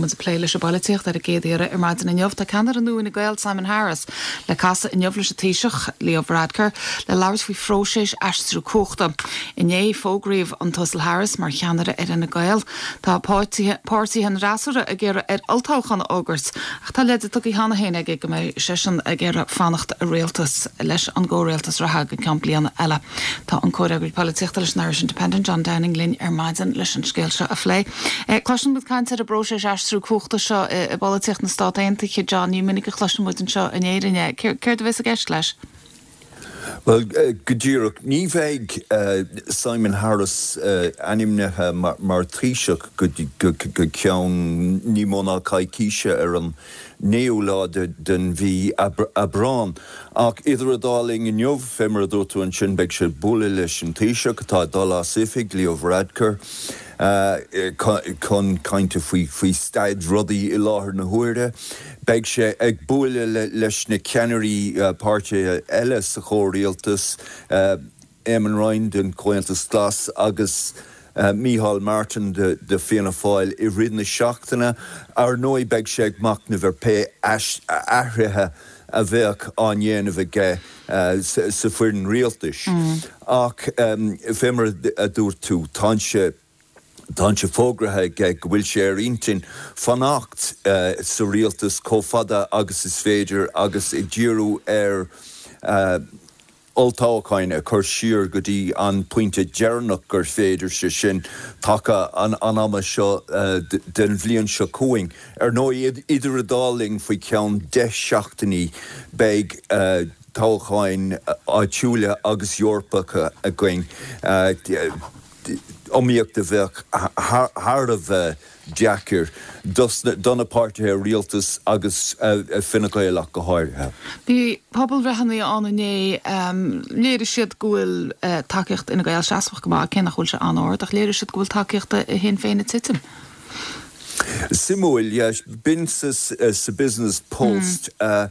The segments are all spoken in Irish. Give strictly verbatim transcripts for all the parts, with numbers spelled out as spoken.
muid ag plé leis an bpolaitíocht ar an gcéad iarraidh ar maidin inniu. Tá ceannaire nua Fhine Gael Simon Harris le casadh inniu leis an Taoiseach Leo Varadkar le labhairt faoi phróiseas aistriú cumhachta. Inné fógraíodh an tUasal Harris mar cheannaire ar Fhine Gael. Tá páirtithe an fhreasúra ag iarraidh air olltoghchán a fhógairt ach tá leide tugtha cheana féin aige go mbeidh seisean ag iarraidh fanacht i rialtas leis an gcomhrialtas reatha go ceann bliana eile. Tá an comhfhreagraí polaitíochta leis an Irish Independent John Downing linn ar maidin leis an scéal seo a phlé. Eh, Cloiseann muid caint ar an bpróiseas aistriú cumhachta seo i bpolaitíocht na Stát Aontaithe John ní minic a chloiseann muid anseo in Éirinn é. Céard a bheas i gceist leis? Well uh, go díreach ní bheidh uh, Simon Harris uh, ainmnithe mar, mar Taoiseach go, go, go ceann ní mó ná coicíse ar an naoú lá de, den mhí Aibreán. Ach idir an dá linn inniu fé mar a dúirt tú ansin beidh sé bualadh leis an Taoiseach atá dul as oifig Leo Varadkar. Uh, chun cainte faoi faoi staid rudaí i láthair na huaire. Beidh sé ag bualadh le, leis na ceannairí uh, páirtithe eile sa chomhrialtas uh, Eamon Ryan den Comhaontas Glas agus uh, Micheál Martin de, de Fianna Fáil i rith na seachtaine ar ndóigh beidh sé ag machnamh ar pé athruithe a bheadh á ndéanamh aige uh, sa, sa foireann rialtais. Mm. Ach um, fé mar a dúirt tú tá sé Tá sé fógraithe aige go bhfuil sé ar intinn fanacht uh, sa rialtas chomh fada agus is féidir agus ag díriú ar uh, olltoghcháin a chur siar go dtí an pointe deireanach gur féidir sé sin taca an, an ama seo uh, den bhliain seo chugainn. Ar ndóigh idir an dá linn faoi ceann deich seachtainí beidh uh, toghcháin áitiúla agus Eorpacha againn. Uh, iomaíocht a bheadh thar a bheith deacair do na páirtithe rialtais agus uh, Fine Gael ach go háirithe. Bhí pobalbhreitheanna ann inné léirigh siad go bhfuil uh, tacaíocht Fhine Gael seasmhach go maith cé nach bhfuil sé an-ard ach léirigh siad go bhfuil tacaíocht Shinn Féin ag titim. Suimiúil b'in sa, sa Business Post mm. uh,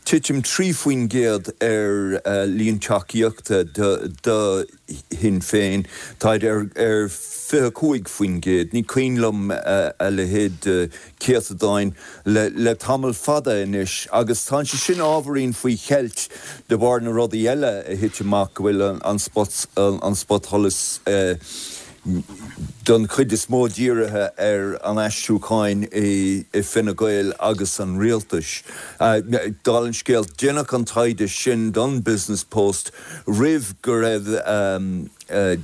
titim trí faoin gcéad ar uh, líon tacaíochta do, do Shinn Féin Tá ar, ar fiche cúig faoin gcéad, ní cuimhin liom uh, a leithéid uh, céatadáin le, le tamall fada anois, agus tá sé sin ábhairín faoi cheilt de bharr na rudaí eile a thit amach go bhfuil an, an spot an, an spotsholas uh, don chuid is mó dírithe ar an aistriúcháin i, i Fine Gael agus an rialtais. Uh, Dála an scéil déanadh an taighde sin don Business Post roimh go raibh um, uh,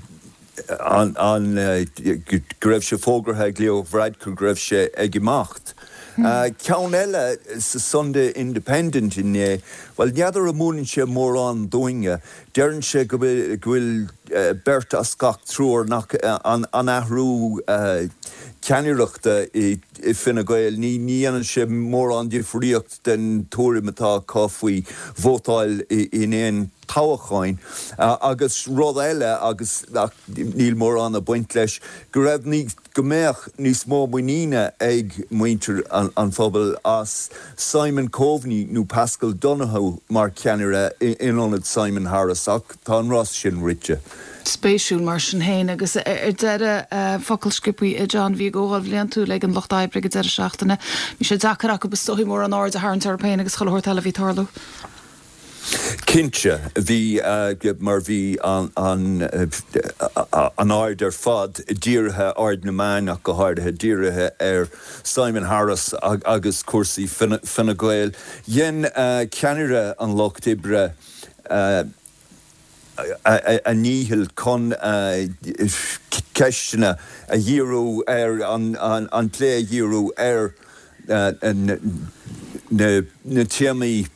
an, an uh, go raibh sé fógraithe ag Leo Varadkar go raibh sé ag imeacht. Uh, Ceann eile sa Sunday Independent inné, well n'fheadar an múineann sé mórán dúinne, deireann sé go bhfuil uh, beirt as gach triúr nach uh, an, an athrú uh, ceannaireachta i, i Fine Gael, ní ní dhéanann sé mórán difríocht den tuairim atá acu faoi vótáil in aon toghcháin uh, agus rud eile agus níl mórán ag baint leis go raibh ní go mbeadh níos mó muiníne ag muintir an, an phobal as Simon Coveney nó Paschal Donohoe mar cheannaire in ionad Simon Harris ach tá an rás sin rite. Spéisiúil mar sin féin agus ar deireadh focal sciobtha John bhí comhdháil bhliantúil ag an Lucht Oibre ag deireadh seachtaine. Bhí sé deacair acu is dóigh mórán aird a tharraingt orthu féin agus chuile shórt eile a bhí ag tarlú. Cinnte bhí uh, mar bhí an, an, uh, an aird ar fad dírithe aird na meán ach go háirithe dírithe ar Simon Harris ag, agus cúrsaí Fine Gael. Dhein uh, ceannaire an Lucht Oibre uh, a, a ndícheall chun uh, ceisteanna a dhíriú ar an, an, an plé a dhíriú ar uh, na, na téamaí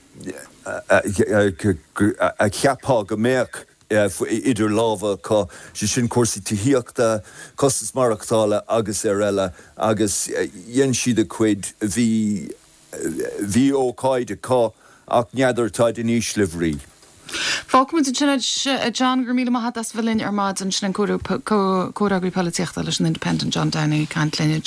a cheapfá go mbeadh idir lámha acu sé sin cúrsaí tithíochta, costas maireachtála agus ar eile agus dhein siad a gcuid bhí bhí ócáid acu ach n'fheadar táid in ísle brí. Fágfaimid ansin John gur míle maith as bheith linn ar maidin sin an comhfhreagraí polaitíochta leis an Independent John Downing ag caint linn.